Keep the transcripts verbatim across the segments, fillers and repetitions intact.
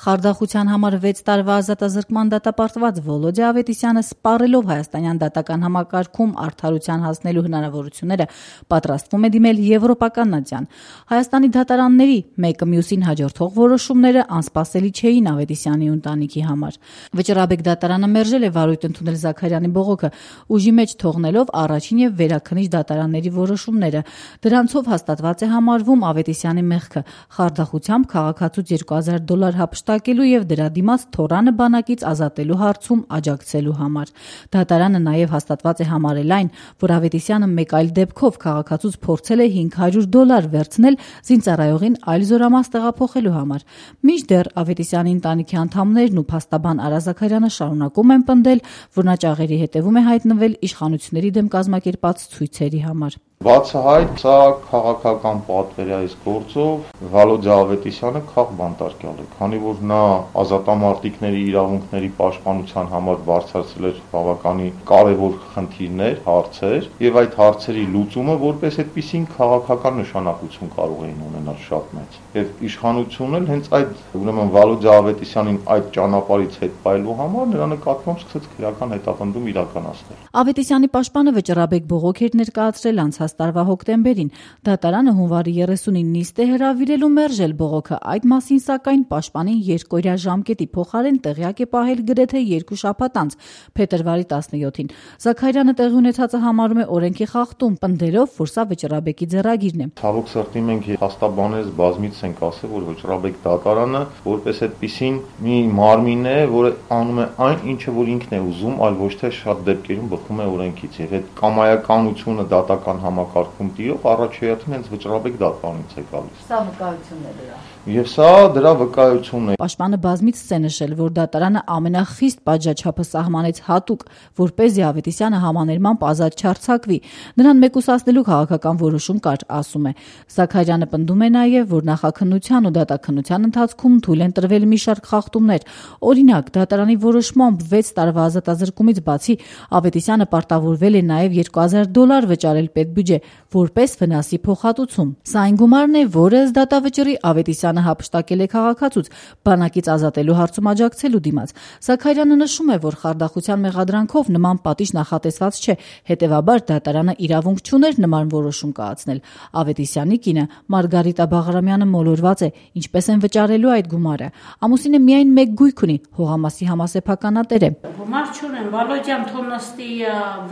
Խարդախության համար վեց տարվա ազատազրկման դատապարտված Վոլոդիա Ավետիսյանը սպառելով հայաստանյան դատական համակարգում արդարության հասնելու հնարավորությունները պատրաստվում է դիմել Եվրոպական ատյան։ Հայաստանի դատարանների մեկը մյուսին հաջորդող որոշումները անսպասելի չէին Ավետիսյանի ընտանիքի համար։ Վճռաբեկ դատարանը մերժել է վարույթ ընդունել Զաքարյանի բողոքը, ուժի մեջ թողնելով առաջին եւ վերաքննիչ դատարանների որոշումները։ Դրանցով հաստատված է համարվում Ավետիսյանի մեղքը խարդախությամբ քաղաքացուց երկու հազար դոլար հափշտակելու եւ դրա դիմաց թորանը բանակից ազատելու հարցում աջակցելու համար։ Դատարանը նաեւ հաստատված է համարել այն, որ Ավետիսյանը մեկ այլ դեպքով քաղաքացուց փորձել է հինգ հարյուր դոլար վերցնել զինծառայողին այլ զորամաս տեղափոխելու համար։ Մինչդեռ Ավետիսյանի ընտանիքի անդամներն ու փաստաբան Արա Զաքարյանը շարունակում են պնդել, որ նա ճաղերի հետևում է հայտնվել իշխանությունների դեմ կազմակերպած ցույցերի համար։ Բացահայտ սա քաղաքական պատվեր է այս գործով Վոլոդիա Ավետիսյանը քաղբանտարկյալ է, քանի որ նա ազատամարտիկների իրավունքների պաշտպանության համար բարձրացրել էր բավականին կարևոր խնդիրներ, հարցեր, եւ այդ հարցերի լուծումը որպես այդպիսին քաղաքական նշանակություն կարող էին ունենալ շատ մեծ։ Եվ իշխանությունն էլ հենց այդ ուրեմն Վոլոդիա Ավետիսյանին այդ ճանապարհից հետ պայելու համար նրա նկատմամբ սկսեց քրեական հետապնդում իրականացնել։ Ավետիսյանի պաշտպանը վճռաբեկ բողոք էր ներկայացրել անցած տարվա հոկտեմբերին։ Դատարանը հունվարի երեսունին նիստ է հրավիրել ու մերժել բողոքը։ Այդ մասին սակայն պաշտպանին երկօրյա ժամկետի փոխարեն տեղյակ է պահել գրեթե երկու շաբաթ անց, փետրվարի տասնյոթին։ Զաքարյանը տեղի ունեցածը համարում է օրենքի խախտում, պնդելով, որ սա վճռաբեկի ձեռագիրն է։ Ցավոք սրտի մենք փաստաբանես բազմից ենք ասել, որ վճռաբեկ դատարանը որպես այդպիսին մի մարմին է, որը անում է այն, ինչը որ ինքն է ուզում, այլ ոչ թե շատ դեպքերում բխում է օրենքից։ Եվ այդ կամայականությունը դատական համակարգում տիրող առաջեյաթին հենց վճռաբեկ դատարանից է գալիս։ Սա վկայությունն է դրա։ Եվ սա դրա վկայությունն է։ Պաշտպանը բազմիցս է նշել, որ դատարանը ամենախիստ պատժաչափը սահմանեց հատուկ, որպեսզի Ավետիսյանը համաներմամբ ազատ չարձակվի։ Նրան մեկուսացնելու քաղաքական որոշում կար, ասում է։ Զաքարյանը պնդում է նաև, որ նախաքննության ու դատաքննության ընթացքում թույլ են տրվել մի շարք խախտումներ։ Օրինակ, դատարանի որոշմամբ վեց տարվա ազատազրկումից բացի Ավետիսյանը պարտավորվել է նաև երկու հազար դոլար վճարել պետբյուջե, որպես վնասի փոխհատուցում։ Սա այն գումարն է, որը ըստ դատավճռի Ավետիսյանը հափշտակել է քաղաքացուց բանակից ազատելու հարցում աջակցելու դիմաց։ Զաքարյանը նշում է, որ խարդախության մեղադրանքով նման պատիժ նախատեսված չէ, հետևաբար դատարանը իրավունք չուներ նման որոշում կայացնել։ Ավետիսյանի կինը Մարգարիտա Բաղրամյանը մոլորված է, ինչպես են վճարելու այդ գումարը։ Ամուսինը միայն մեկ գույք ունի, հողամասի համասեփականատեր է։ Գումար չունեմ, Վոլոդյան թոմնստի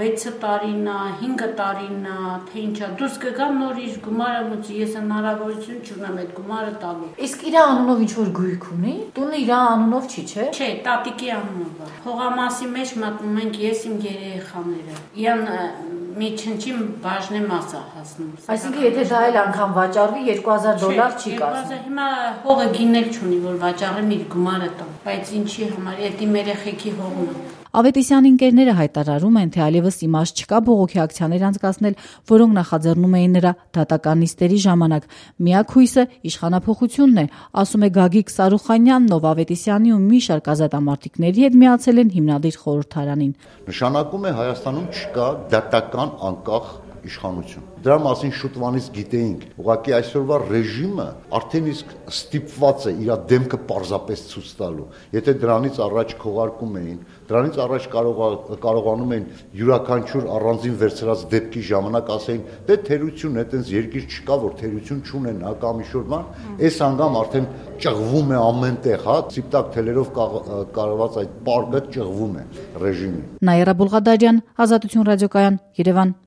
վեց տարին, հինգ տարին, թե ինչա դուրս կգամ նորից գումարը մուծի, ես հնարավորություն չունեմ այդ գումարը տալու։ Իսկ իր անունով ինչ որ գույք ունի։ Տունը իր անունով չի, չէ՞։ Չէ, տատիկի անունով է։ Հողամասի մեջ մտնում ենք ես իմ երեխաները։ Իան մի չնչին բաժնե մասա հասնում։ Այսինքն եթե դա էլ անգամ վաճառվի երկու հազար դոլար չի կազմում։ Հիմա հողը գինել չունի, որ վաճառեմ իր գումարը տամ, բայց ինչի համար, դա իմ երեխեքի հողն է։ Ավետիսյանի ընկերները հայտարարում են, թե այլևս իմաստ չկա բողոքի ակցիաներ անցկացնել, որոնք նախաձեռնում էին նրա դատական նիստերի ժամանակ։ Միակ հույսը իշխանափոխությունն է, ասում է Գագիկ Սարուխանյանն, ով Ավետիսյանի ու մի շարք ազատամարտիկների հետ միացել են հիմնադիր խորհրդարանին։ Նշանակում է Հայաստանում չկա դատական անկախ իշխանություն։ Դրա մասին շուտվանից գիտեինք։ Ուղղակի այսօրվա ռեժիմը արդեն իսկ ստիպված է իր դեմքը պարզապես ցույց տալու։ Եթե դրանից առաջ քողարկում էին, դրանից առաջ կարողանում էին յուրաքանչյուր առանձին վերցրած դեպքի ժամանակ ասեին, դե թերություն է, այտենց երկիր չկա, որ թերություն չունեն, հա կամ ինչ-որ բան, այս անգամ արդեն ճղվում է ամենտեղ, հա, ցիպտակ թելերով կարված այդ պարկը ճղվում է ռեժիմին։ Նաիրա Բուլղադարյան, Ազատություն ռադիոկայան, Երևան։